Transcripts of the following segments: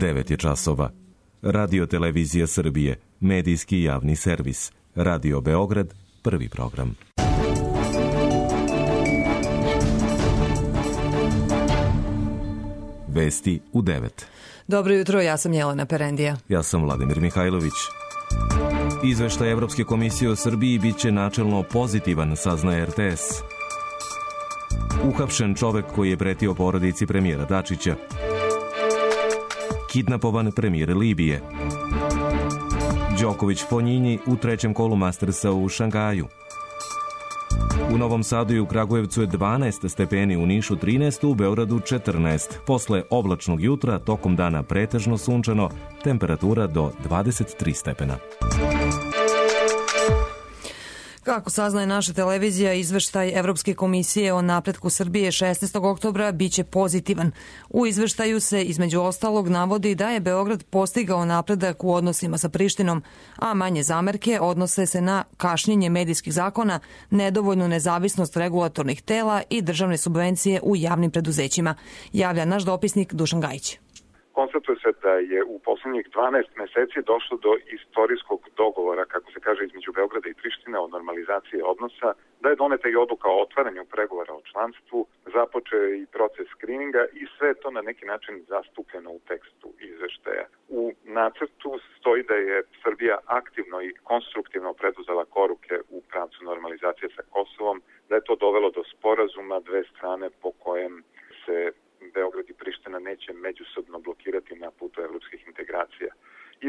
9 je časova. Radio Televizija Srbije, medijski javni servis. Radio Beograd, prvi program. Vesti u 9. Dobro jutro, ja sam Jelena Perendija. Ja sam Vladimir Mihajlović. Izveštaj Evropske komisije o Srbiji biće načelno pozitivan, saznaje RTS. Uhapšen čovek koji je pretio porodici premijera Dačića. Kidnapovan premijer Libije. Đoković Fonjinji u trećem kolu Mastersa u Šangaju. U Novom Sadu i u Kragujevcu je 12 stepeni, u Nišu 13, u Beogradu 14. Posle oblačnog jutra, tokom dana pretežno sunčano, temperatura do 23 stepena. Kako saznaje naša televizija, izveštaj Evropske komisije o napretku Srbije 16. oktobra biće pozitivan. U izveštaju se između ostalog navodi da je Beograd postigao napredak u odnosima sa Prištinom, a manje zamerke odnose se na kašnjenje medijskih zakona, nedovoljnu nezavisnost regulatornih tela i državne subvencije u javnim preduzećima, javlja naš dopisnik Dušan Gajić. Konstatuje se da je u poslednjih 12 meseci došlo do istorijskog dogovora, kako se kaže, između Beograda i Prištine o normalizaciji odnosa, da je doneta i odluka o otvaranju pregovora o članstvu, započeo i proces skrininga i sve to na neki način zastupljeno u tekstu izveštaja. U nacrtu stoji da je Srbija aktivno i konstruktivno preduzela koruke u pravcu normalizacije sa Kosovom, da je to dovelo do sporazuma dve strane po kojem se Beograd i Priština neće međusobno blokirati na putu evropskih integracija.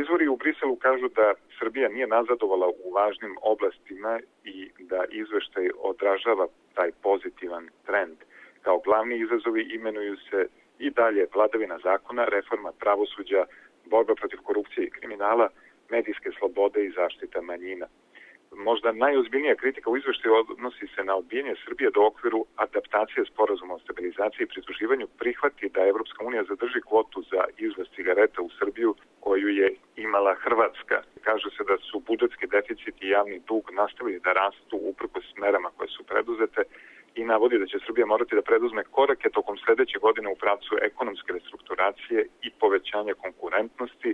Izvori u Briselu kažu da Srbija nije nazadovala u važnim oblastima i da izveštaj odražava taj pozitivan trend. Kao glavni izazovi imenuju se i dalje vladavina zakona, reforma pravosuđa, borba protiv korupcije i kriminala, medijske slobode i zaštita manjina. Možda najozbiljnija kritika u izveštaju odnosi se na odbijanje Srbije da u okviru adaptacije sporazuma o stabilizaciji i pridruživanju prihvati da Evropska unija zadrži kvotu za izvoz cigareta u Srbiju koju je imala Hrvatska. Kaže se da su budžetski deficit i javni dug nastavili da rastu uprkos merama koje su preduzete i navodi da će Srbija morati da preduzme korake tokom sledeće godine u pravcu ekonomske restrukturacije i povećanja konkurentnosti.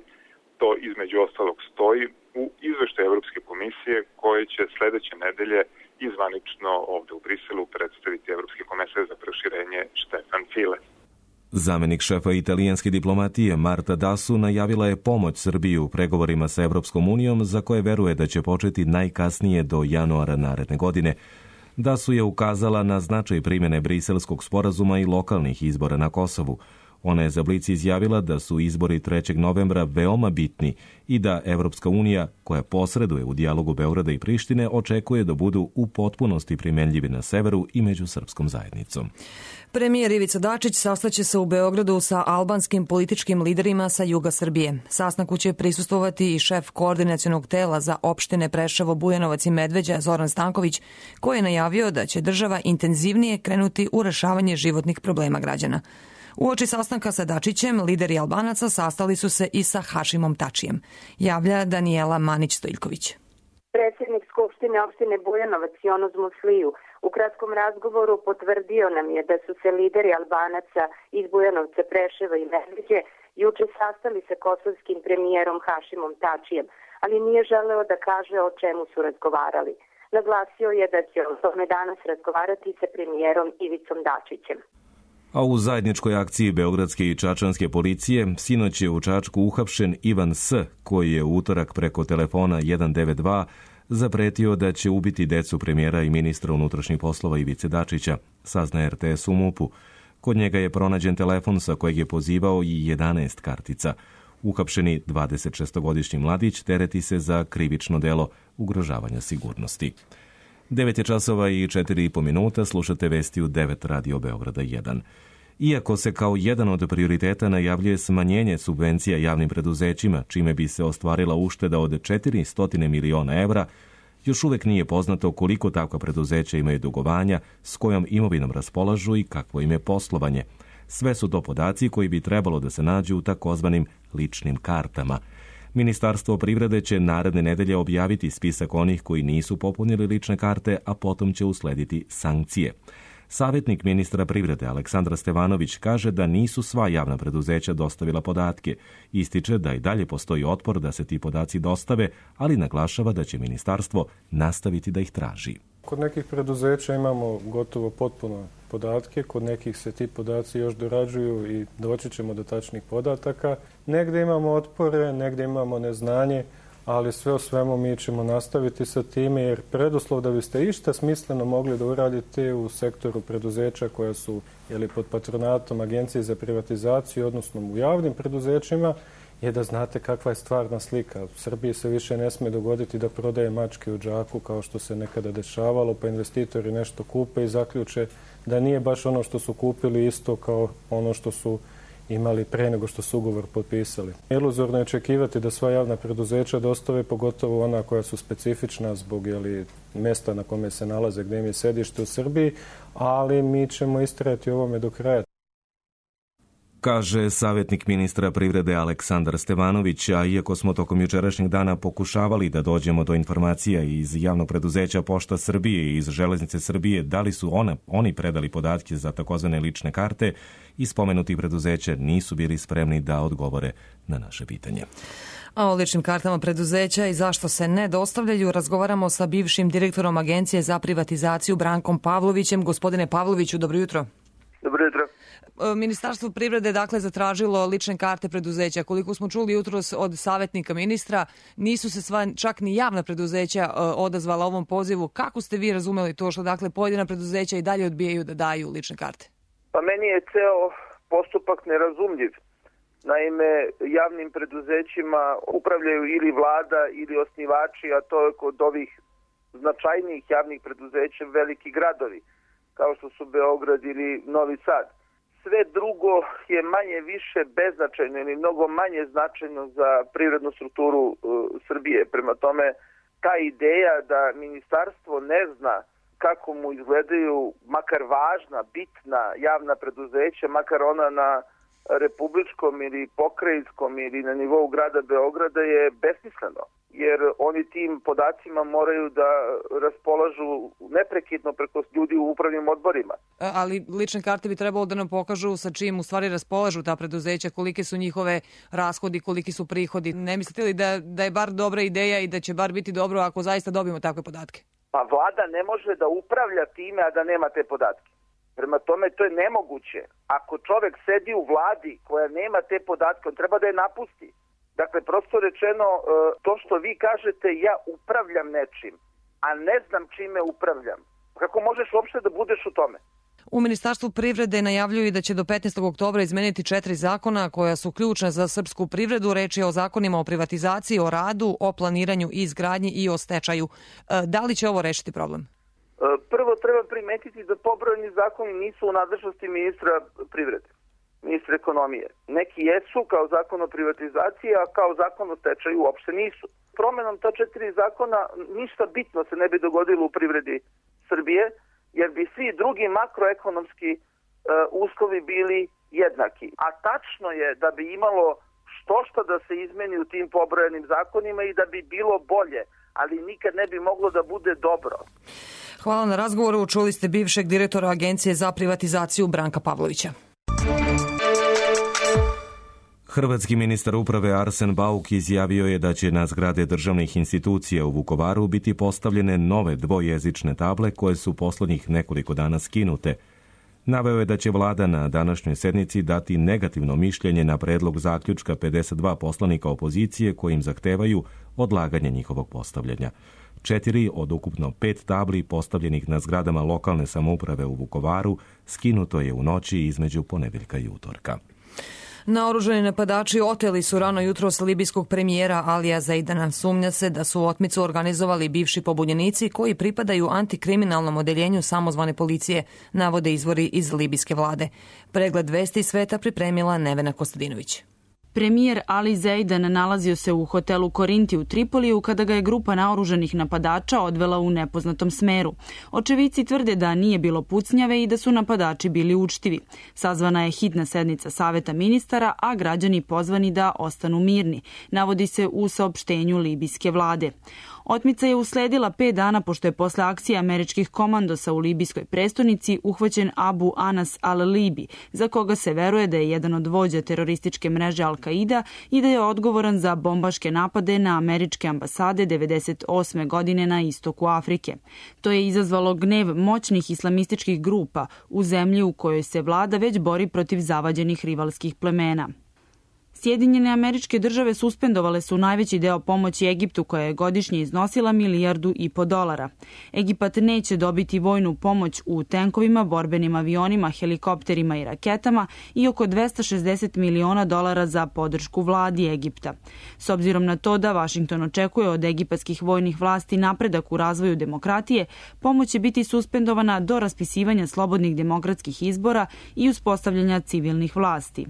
To između ostalog stoji u izveštaju Evropske komisije koje će sledeće nedelje izvanično ovde u Briselu predstaviti Evropski komesar za proširenje Štefan File. Zamenik šefa italijanske diplomatije Marta Dasu najavila je pomoć Srbiji u pregovorima sa Evropskom unijom za koje veruje da će početi najkasnije do januara naredne godine. Dasu je ukazala na značaj primjene Briselskog sporazuma i lokalnih izbora na Kosovu. Ona je za Blic izjavila da su izbori 3. novembra veoma bitni i da Evropska unija, koja posreduje u dijalogu Beograda i Prištine, očekuje da budu u potpunosti primenljivi na severu i među srpskom zajednicom. Premijer Ivica Dačić sastaće se u Beogradu sa albanskim političkim liderima sa juga Srbije. Sastanku će prisustvovati i šef koordinacionog tela za opštine Preševo, Bujanovac i Medveđa Zoran Stanković, koji je najavio da će država intenzivnije krenuti u rešavanje životnih problema građana. Uoči sastanka sa Dačićem, lideri Albanaca sastali su se i sa Hašimom Tačijem, javlja Danijela Manić-Stojiljković. Predsjednik Skupštine opštine Bujanovac Jonos Musliju u kratkom razgovoru potvrdio nam je da su se lideri Albanaca iz Bujanovca, Preševa i Medveđe juče sastali sa kosovskim premijerom Hašimom Tačijem, ali nije želeo da kaže o čemu su razgovarali. Naglasio je da će o tome danas razgovarati sa premijerom Ivicom Dačićem. A u zajedničkoj akciji beogradske i čačanske policije sinoć je u Čačku uhapšen Ivan S., koji je u utorak preko telefona 192 zapretio da će ubiti decu premijera i ministra unutrašnjih poslova Ivice Dačića, saznaje RTS u MUP-u. Kod njega je pronađen telefon sa kojeg je pozivao i 11 kartica. Uhapšeni 26-godišnji mladić tereti se za krivično delo ugrožavanja sigurnosti. 9 je časova i 4,5 minuta, slušate vesti u 9 Radio Beograda 1. Iako se kao jedan od prioriteta najavljuje smanjenje subvencija javnim preduzećima, čime bi se ostvarila ušteda od 400 miliona evra, još uvek nije poznato koliko takva preduzeća imaju dugovanja, s kojom imovinom raspolažu i kakvo im je poslovanje. Sve su to podaci koji bi trebalo da se nađu u takozvanim ličnim kartama. Ministarstvo privrede će naredne nedelje objaviti spisak onih koji nisu popunili lične karte, a potom će uslediti sankcije. Savjetnik ministra privrede Aleksandar Stevanović kaže da nisu sva javna preduzeća dostavila podatke. Ističe da i dalje postoji otpor da se ti podaci dostave, ali naglašava da će ministarstvo nastaviti da ih traži. Kod nekih preduzeća imamo gotovo potpuno podatke, kod nekih se ti podaci još dorađuju i doći ćemo do tačnih podataka. Negdje imamo otpore, negdje imamo neznanje, ali sve o svemu mi ćemo nastaviti sa time, jer preduslov da biste išta smisleno mogli da uradite u sektoru preduzeća koja su pod patronatom Agencije za privatizaciju, odnosno u javnim preduzećima, je da znate kakva je stvarna slika. U Srbiji se više ne smije dogoditi da prodaje mačke u džaku kao što se nekada dešavalo, pa investitori nešto kupe i zaključe da nije baš ono što su kupili isto kao ono što su imali pre nego što su ugovor potpisali. Iluzorno je očekivati da sva javna preduzeća dostave, pogotovo ona koja su specifična zbog mjesta na kome se nalaze, gdje im je sedište u Srbiji, ali mi ćemo istrajati ovome do kraja. Kaže savjetnik ministra privrede Aleksandar Stevanović, a iako smo tokom jučerašnjeg dana pokušavali da dođemo do informacija iz javnog preduzeća Pošta Srbije i iz Železnice Srbije, da li su oni predali podatke za takozvane lične karte, i spomenuti preduzeća nisu bili spremni da odgovore na naše pitanje. A o ličnim kartama preduzeća i zašto se ne dostavljaju razgovaramo sa bivšim direktorom Agencije za privatizaciju Brankom Pavlovićem. Gospodine Pavloviću, dobro jutro. Dobro jutro. Ministarstvo privrede dakle zatražilo lične karte preduzeća. Koliko smo čuli jutros od savjetnika ministra, nisu se čak ni javna preduzeća odazvala ovom pozivu. Kako ste vi razumeli to što dakle pojedina preduzeća i dalje odbijaju da daju lične karte? Pa meni je ceo postupak nerazumljiv. Naime, javnim preduzećima upravljaju ili vlada ili osnivači, a to je kod ovih značajnijih javnih preduzeća veliki gradovi, kao što su Beograd ili Novi Sad. Sve drugo je manje više beznačajno ili mnogo manje značajno za privrednu strukturu Srbije. Prema tome, ta ideja da ministarstvo ne zna kako mu izgledaju makar važna, bitna javna preduzeća, makar ona na republičkom ili pokrajinskom ili na nivou grada Beograda, je besmisleno. Jer oni tim podacima moraju da raspolažu neprekidno preko ljudi u upravnim odborima. Ali lične karte bi trebalo da nam pokažu sa čim u stvari raspolažu ta preduzeća, kolike su njihove rashodi, koliki su prihodi. Ne mislite li da je bar dobra ideja i da će bar biti dobro ako zaista dobijemo takve podatke? Pa vlada ne može da upravlja time, a da nema te podatke. Prema tome, to je nemoguće. Ako čovek sedi u vladi koja nema te podatke, on treba da je napusti. Dakle, prosto rečeno, to što vi kažete, ja upravljam nečim, a ne znam čime upravljam. Kako možeš uopšte da budeš u tome? U Ministarstvu privrede najavljuju da će do 15. oktobra izmeniti 4 zakona koja su ključna za srpsku privredu. Reč je o zakonima o privatizaciji, o radu, o planiranju i izgradnji i o stečaju. Da li će ovo rešiti problem? Prvo treba primetiti da pobrojani zakoni nisu u nadležnosti ministra privrede, ministra ekonomije. Neki jesu kao zakon o privatizaciji, a kao zakon o stečaju uopšte nisu. Promenom ta 4 zakona ništa bitno se ne bi dogodilo u privredi Srbije, jer bi svi drugi makroekonomski uslovi bili jednaki. A tačno je da bi imalo što da se izmeni u tim pobrojenim zakonima i da bi bilo bolje, ali nikad ne bi moglo da bude dobro. Hvala na razgovoru. Čuli ste bivšeg direktora Agencije za privatizaciju Branka Pavlovića. Hrvatski ministar uprave Arsen Bauk izjavio je da će na zgrade državnih institucija u Vukovaru biti postavljene nove dvojezične table koje su poslednjih nekoliko dana skinute. Naveo je da će vlada na današnjoj sednici dati negativno mišljenje na predlog zaključka 52 poslanika opozicije kojim zahtevaju odlaganje njihovog postavljanja. 4 od ukupno 5 tabli postavljenih na zgradama lokalne samouprave u Vukovaru skinuto je u noći između ponedeljka i utorka. Naoružani napadači oteli su rano jutros libijskog premijera Alija Zaidana. Sumnja se da su otmicu organizovali bivši pobunjenici koji pripadaju antikriminalnom odeljenju samozvane policije, navode izvori iz libijske vlade. Pregled vesti sveta pripremila Nevena Kostadinović. Premijer Ali Zeidan nalazio se u hotelu Korinti u Tripoliju kada ga je grupa naoružanih napadača odvela u nepoznatom smeru. Očevici tvrde da nije bilo pucnjave i da su napadači bili učtivi. Sazvana je hitna sednica Saveta ministara, a građani pozvani da ostanu mirni, navodi se u saopštenju libijske vlade. Otmica je usledila 5 dana pošto je posle akcije američkih komandosa u libijskoj prestonici uhvaćen Abu Anas al-Libi, za koga se veruje da je jedan od vođa terorističke mreže Al-Qaida i da je odgovoran za bombaške napade na američke ambasade 1998. godine na istoku Afrike. To je izazvalo gnev moćnih islamističkih grupa u zemlji u kojoj se vlada već bori protiv zavađenih rivalskih plemena. Sjedinjene Američke Države suspendovale su najveći deo pomoći Egiptu koja je godišnje iznosila $1,5 milijardi. Egipat neće dobiti vojnu pomoć u tenkovima, borbenim avionima, helikopterima i raketama i oko $260 miliona za podršku vladi Egipta. S obzirom na to da Vašington očekuje od egipatskih vojnih vlasti napredak u razvoju demokratije, pomoć će biti suspendovana do raspisivanja slobodnih demokratskih izbora i uspostavljanja civilnih vlasti.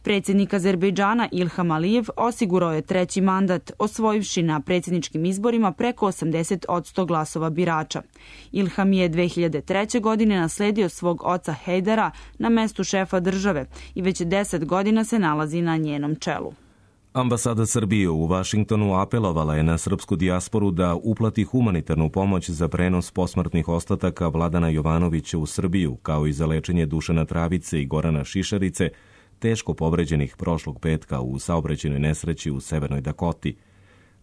Predsjednik Azerbejdžana Ilham Alijev osigurao je 3. mandat, osvojivši na predsjedničkim izborima preko 80% glasova birača. Ilham je 2003. godine nasledio svog oca Hejdara na mestu šefa države i već 10 godina se nalazi na njenom čelu. Ambasada Srbije u Vašingtonu apelovala je na srpsku dijasporu da uplati humanitarnu pomoć za prenos posmrtnih ostataka Vladana Jovanovića u Srbiju, kao i za lečenje Dušana Travice i Gorana Šišarice, teško povređenih prošlog petka u saobraćajnoj nesreći u Severnoj Dakoti.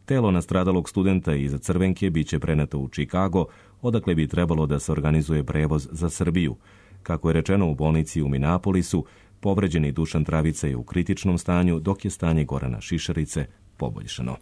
Telo nastradalog studenta iza Crvenke biće preneto u Čikago, odakle bi trebalo da se organizuje prevoz za Srbiju. Kako je rečeno u bolnici u Minapolisu, povređeni Dušan Travica je u kritičnom stanju, dok je stanje Gorana Šišarice poboljšano.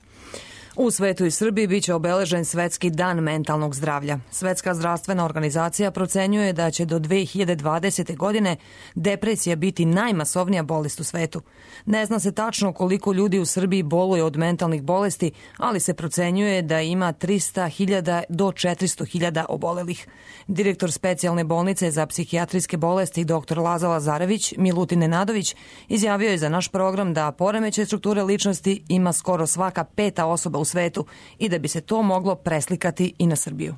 U svetu i Srbiji biće obeležen Svetski dan mentalnog zdravlja. Svetska zdravstvena organizacija procenjuje da će do 2020. godine depresija biti najmasovnija bolest u svetu. Ne zna se tačno koliko ljudi u Srbiji boluje od mentalnih bolesti, ali se procenjuje da ima 300.000 do 400.000 obolelih. Direktor specijalne bolnice za psihijatrijske bolesti dr. Laza Lazarević Milutin Nenadović izjavio je za naš program da poremećaj strukture ličnosti ima skoro svaka 5. osoba u svetu i da bi se to moglo preslikati i na Srbiju.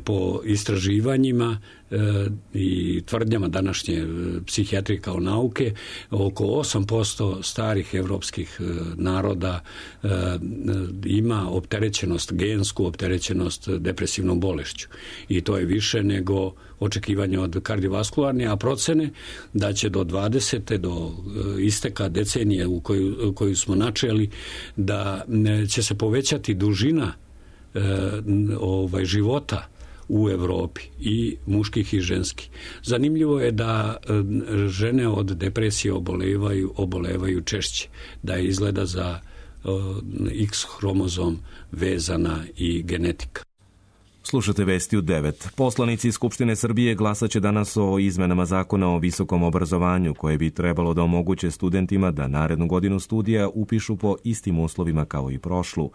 Po istraživanjima i tvrdnjama današnje psihijatrije kao nauke, oko 8% starih evropskih naroda ima opterećenost, gensku opterećenost depresivnom bolešću. I to je više nego očekivanje od kardiovaskularne, a procene da će do 20. do isteka decenije u koju smo načeli, da će se povećati dužina života u Evropi, i muških i ženskih. Zanimljivo je da žene od depresije obolevaju češće, da je izgleda za X hromozom vezana i genetika. Slušate vesti u 9. Poslanici Skupštine Srbije glasaće danas o izmenama zakona o visokom obrazovanju, koje bi trebalo da omoguće studentima da narednu godinu studija upišu po istim uslovima kao i prošlu.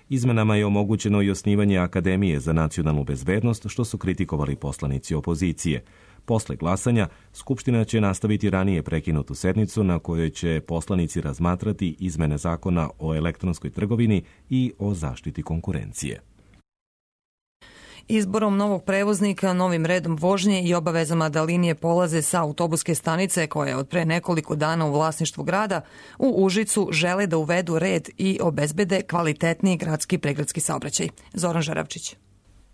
Izmenama je omogućeno i osnivanje Akademije za nacionalnu bezbednost, što su kritikovali poslanici opozicije. Posle glasanja, Skupština će nastaviti ranije prekinutu sednicu na kojoj će poslanici razmatrati izmene zakona o elektronskoj trgovini i o zaštiti konkurencije. Izborom novog prevoznika, novim redom vožnje i obavezama da linije polaze sa autobuske stanice, koja je od pre nekoliko dana u vlasništvu grada, u Užicu žele da uvedu red i obezbede kvalitetniji gradski pregradski saobraćaj. Zoran Žaravčić.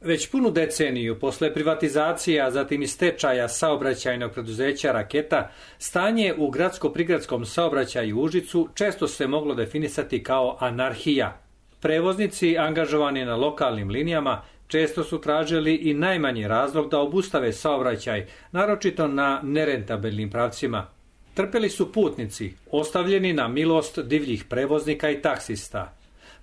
Već punu deceniju posle privatizacije, a zatim i stečaja saobraćajnog preduzeća Raketa, stanje u gradsko-prigradskom saobraćaju u Užicu često se moglo definisati kao anarhija. Prevoznici angažovani na lokalnim linijama često su tražili i najmanji razlog da obustave saobraćaj, naročito na nerentabilnim pravcima. Trpeli su putnici, ostavljeni na milost divljih prevoznika i taksista.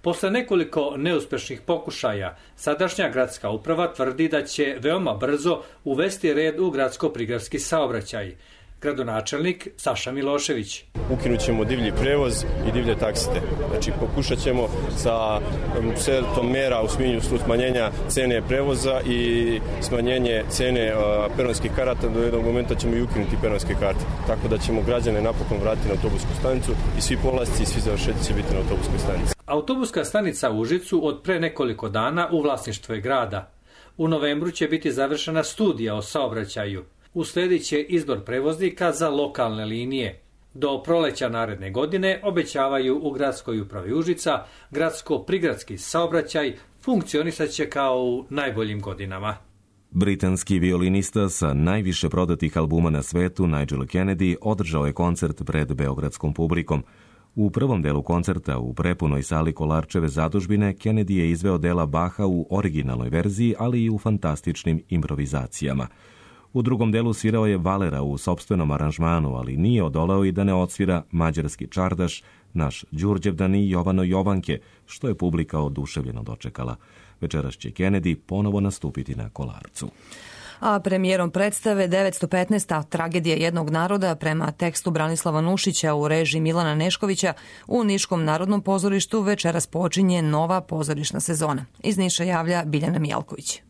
Posle nekoliko neuspešnih pokušaja, sadašnja gradska uprava tvrdi da će veoma brzo uvesti red u gradsko-prigradski saobraćaj. Gradonačelnik Saša Milošević. Ukinut ćemo divlji prevoz i divlje taksiste. Znači, pokušat ćemo sa setom mera u smislu smanjenja cene prevoza i smanjenje cene peronskih karata. Do jednog momenta ćemo i ukinuti peronske karte. Tako da ćemo građane napokon vratiti na autobusku stanicu i svi polasci i svi završetci će biti na autobuskoj stanici. Autobuska stanica u Užicu od pre nekoliko dana u vlasništvu je grada. U novembru će biti završena studija o saobraćaju. Usledit će izbor prevoznika za lokalne linije. Do proleća naredne godine obećavaju u gradskoj upravi Užica gradsko-prigradski saobraćaj funkcionisat će kao u najboljim godinama. Britanski violinista sa najviše prodatih albuma na svetu, Nigel Kennedy, održao je koncert pred beogradskom publikom. U prvom delu koncerta u prepunoj sali Kolarčeve zadužbine Kennedy je izveo dela Baha u originalnoj verziji, ali i u fantastičnim improvizacijama. U drugom delu svirao je Valera u sopstvenom aranžmanu, ali nije odoleo i da ne odsvira mađarski čardaš, naš Đurđevdan i Jovano Jovanke, što je publika oduševljeno dočekala. Večeras će Kennedy ponovo nastupiti na Kolarcu. A premijerom predstave 915. Tragedija jednog naroda prema tekstu Branislava Nušića u režiji Milana Neškovića u Niškom narodnom pozorištu večeras počinje nova pozorišna sezona. Iz Niša javlja Biljana Mijalković.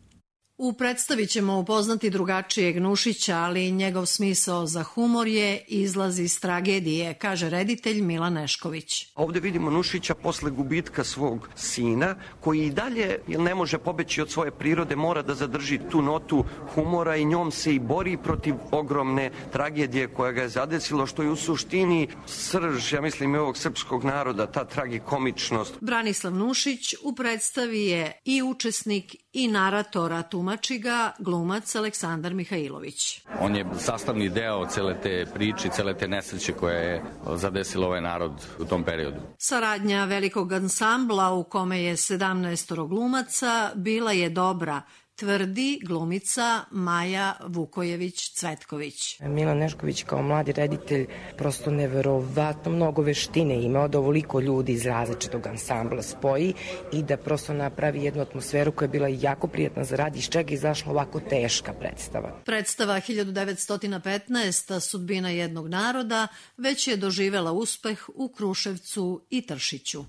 U predstavi ćemo upoznati drugačijeg Nušića, ali njegov smisao za humor je izlaz iz tragedije, kaže reditelj Milan Nešković. Ovdje vidimo Nušića posle gubitka svog sina, koji i dalje, jer ne može pobeći od svoje prirode, mora da zadrži tu notu humora i njom se i bori protiv ogromne tragedije koja ga je zadesilo, što je u suštini srž, ja mislim, i ovog srpskog naroda, ta tragikomičnost. Branislav Nušić u predstavi je i učesnik i naratora, tumači ga glumac Aleksandar Mihajlović. On je sastavni deo cele te priče, cele te nesreće koja je zadesila ovaj narod u tom periodu. Saradnja velikog ansambla u kome je 17 glumaca bila je dobra, tvrdi glumica Maja Vukojević-Cvetković. Milan Nešković kao mladi reditelj prosto neverovatno mnogo veštine imao da ovoliko ljudi iz različitog ansambla spoji i da prosto napravi jednu atmosferu koja je bila jako prijatna za rad, iz čega je izašla ovako teška predstava. Predstava 1915. Sudbina jednog naroda već je doživela uspeh u Kruševcu i Tršiću.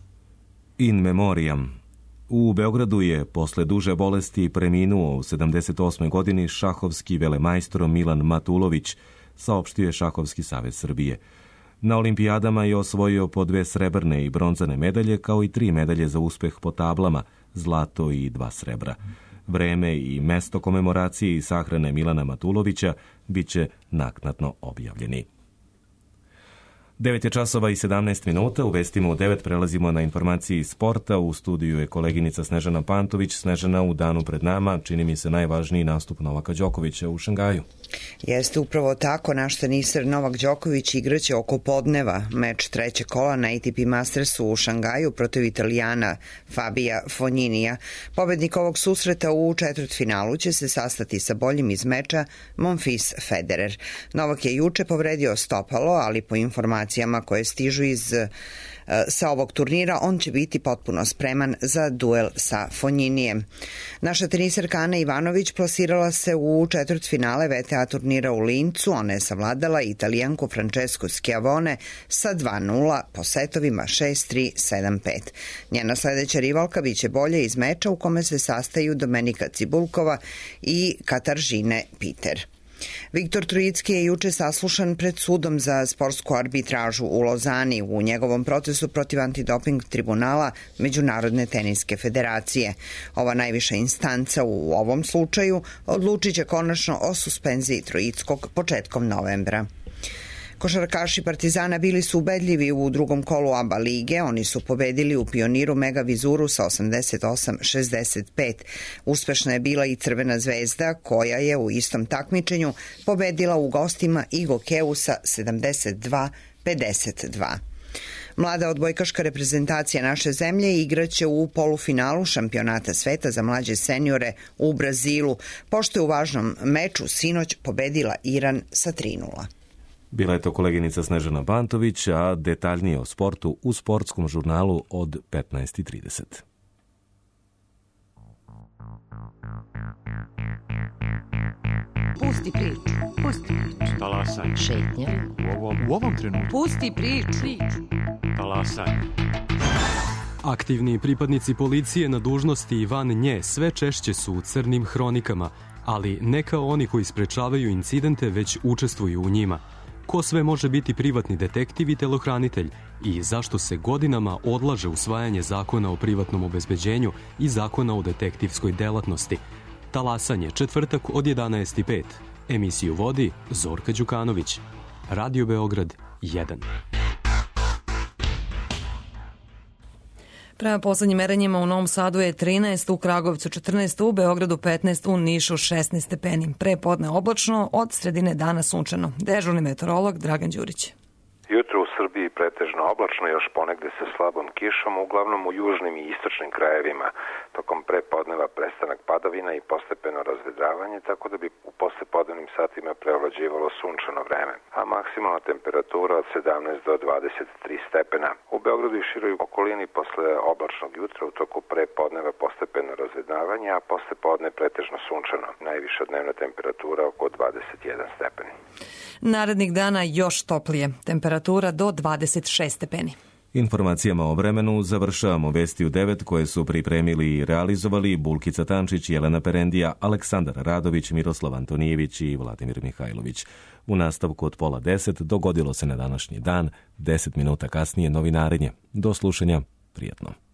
In memoriam. U Beogradu je posle duže bolesti preminuo u 78. godini šahovski velemajstor Milan Matulović, saopštio je Šahovski savez Srbije. Na olimpijadama je osvojio po 2 srebrne i bronzane medalje, kao i 3 medalje za uspeh po tablama, zlato i 2 srebra. Vreme i mesto komemoracije i sahrane Milana Matulovića biće naknadno objavljeni. 9:17 u vestima u 9 prelazimo na informacije iz sporta. U studiju je koleginica Snežana Pantović. Snežana, u danu pred nama čini mi se najvažniji nastup Novaka Đokovića u Šangaju. Jeste upravo tako, naš teniser Novak Đoković igraće oko podneva meč trećeg kola na ATP Mastersu u Šangaju protiv Italijana Fabija Fogninija. Pobednik ovog susreta u četvrtfinalu će se sastati sa boljim iz meča Monfils Federer. Novak je juče povredio stopalo, ali po informacijama koje stižu sa ovog turnira, on će biti potpuno spreman za duel sa Fogninijem. Naša teniserka Ana Ivanović plasirala se u četvrtfinale VTA turnira u Lincu. Ona je savladala Italijanku Francesku Schiavone sa 2:0 po setovima 6-3, 7-5. Njena sledeća rivalka biće bolje iz meča u kome se sastaju Domenika Cibulkova i Kataržine Piter. Viktor Trojicki je juče saslušan pred sudom za sportsku arbitražu u Lozani u njegovom procesu protiv antidoping tribunala Međunarodne teniske federacije. Ova najviša instanca u ovom slučaju odlučit će konačno o suspenziji Trojickog početkom novembra. Košarkaši Partizana bili su ubedljivi u drugom kolu ABA lige. Oni su pobedili u Pioniru Mega Vizuru sa 88-65. Uspešna je bila i Crvena zvezda, koja je u istom takmičenju pobedila u gostima i Gokeu sa 72-52. Mlada odbojkaška reprezentacija naše zemlje igraće u polufinalu šampionata sveta za mlađe seniore u Brazilu, pošto je u važnom meču sinoć pobedila Iran sa 3:0. Bila je to koleginica Snežana Pantović, a detaljnije o sportu u sportskom žurnalu od 15:30. Pusti priču. Talasaj. Šetnja. U ovom trenutku. Pusti priču. Talasaj. Aktivni pripadnici policije na dužnosti i van nje sve češće su u crnim hronikama, ali ne kao oni koji sprečavaju incidente, već učestvuju u njima. Ko sve može biti privatni detektiv i telohranitelj i zašto se godinama odlaže usvajanje zakona o privatnom obezbeđenju i zakona o detektivskoj delatnosti. Talasanje, četvrtak od 11:05. Emisiju vodi Zorka Đukanović. Radio Beograd 1. Prema poslednjim merenjima u Novom Sadu je 13, u Kragovcu 14, u Beogradu 15, u Nišu 16 stepeni. Pre podne oblačno, od sredine dana sunčano. Dežurni meteorolog Dragan Đurić. Jutro u Srbiji pretežno oblačno, još ponegde sa slabom kišom, uglavnom u južnim i istočnim krajevima. Tokom prepodneva prestanak padavina i postepeno razvedravanje, tako da bi u poslepodnevnim satima preovlađivalo sunčano vreme, a maksimalna temperatura od 17 do 23 stepena. U Beogradu i široj okolini posle oblačnog jutra u toku prepodneva postepeno razvedravanje, a poslepodne pretežno sunčano. Najviša dnevna temperatura oko 21 stepeni. Narednih dana još toplije, temperatura do 26 stepeni. Informacijama o vremenu završavamo vesti u 9 koje su pripremili i realizovali Bulkica Tančić, Jelena Perendija, Aleksandar Radović, Miroslav Antonijević i Vladimir Mihajlović. U nastavku od 9:30 dogodilo se na današnji dan, 10 minuta kasnije novinarenje. Do slušanja, prijatno.